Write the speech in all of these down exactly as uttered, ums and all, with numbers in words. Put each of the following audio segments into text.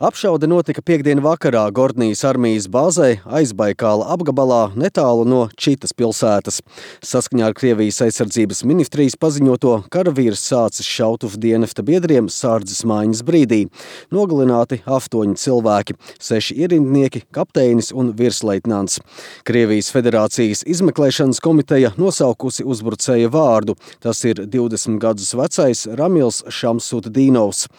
Apšaude notika piektdien vakarā Gordnijas armijas bāzē Aizbaikāla apgabalā netālu no Čitas pilsētas. Saskaņā ar Krievijas aizsardzības ministrijas paziņoto, karavīrs sācis šaut uz dienesta biedriem sārdzes maiņas brīdī. Nogalināti astoņi cilvēki, seši ierindnieki, kapteinis un virsleitnants. Krievijas Federācijas izmeklēšanas komiteja nosaukusi uzbrucēja vārdu. Tas ir divdesmit gadus vecais Ramils Šamsutdīnovs.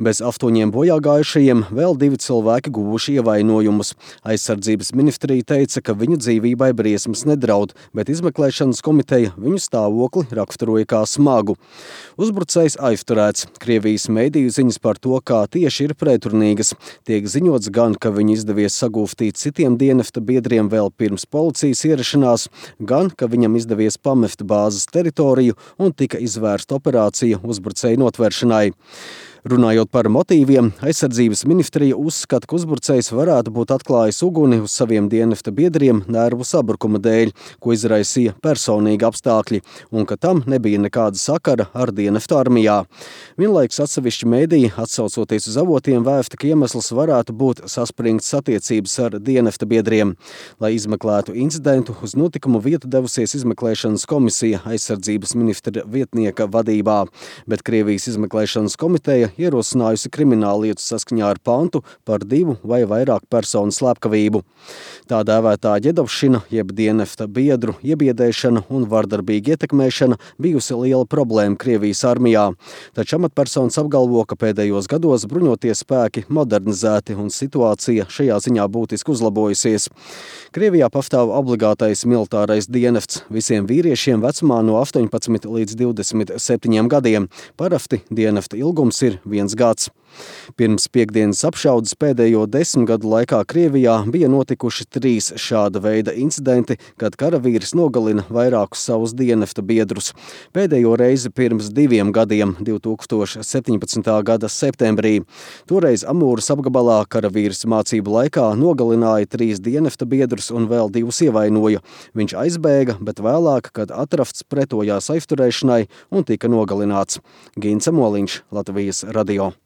Bez astoņiem bojāgājušajiem vēl divi cilvēki guvuši ievainojumus. Aizsardzības ministrija teica, ka viņu dzīvībai briesmas nedraud, bet izmeklēšanas komiteja viņu stāvokli raksturoja kā smagu. Uzbrucējs aizturēts. Krievijas mediju ziņas par to, kā tieši ir pretrunīgas. Tiek ziņots gan, ka viņu izdevies sagūstīt citiem dienesta biedriem vēl pirms policijas ierašanās, gan, ka viņam izdevies pamest bāzes teritoriju un tika izvērsta operācija uzbrucēju notveršanai. Runājot par motīviem, aizsardzības ministrija uzskata, ka uzbrucējs varētu būt atklājis uguni uz saviem dienesta biedriem nervu sabrukuma dēļ, ko izraisīja personīgi apstākļi, un ka tam nebija nekāda sakara ar dienesta armijā. Vienlaikus atsevišķi mediji, atsaucoties uz avotiem, vēsta, ka iemesls varētu būt saspringts attiecības ar dienesta biedriem. Lai izmeklētu incidentu, uz notikumu vietu devusies izmeklēšanas komisija aizsardzības ministra vietnieka vadībā, bet Krievijas izmeklēšanas komiteja ierosinājusi krimināllietu saskaņā ar pantu par divu vai vairāk personu slepkavību. Tā dēvētā ģedovšana, jeb dienesta biedru iebiedēšana un vardarbīga ietekmēšana bijusi liela problēma Krievijas armijā. Taču amatpersonas apgalvo, ka pēdējos gados bruņotie spēki modernizēti un situācija šajā ziņā būtiski uzlabojusies. Krievijā pastāv obligātais militārais dienests visiem vīriešiem vecumā no astoņpadsmit līdz divdesmit septiņiem gadiem. Parasti dienesta ilgums ir viens gads. Pirms piektdienas apšaudes pēdējo desmit gadu laikā Krievijā bija notikuši trīs šāda veida incidenti, kad karavīrs nogalina vairākus savus dienesta biedrus. Pēdējo reizi pirms diviem gadiem, divi tūkstoši septiņpadsmitā gada septembrī. Toreiz Amūras apgabalā karavīrs mācību laikā nogalināja trīs dienesta biedrus un vēl divus ievainoja. Viņš aizbēga, bet vēlāk, kad atrasts, pretojās aizturēšanai un tika nogalināts. Gints Moliņš, Latvijas radio.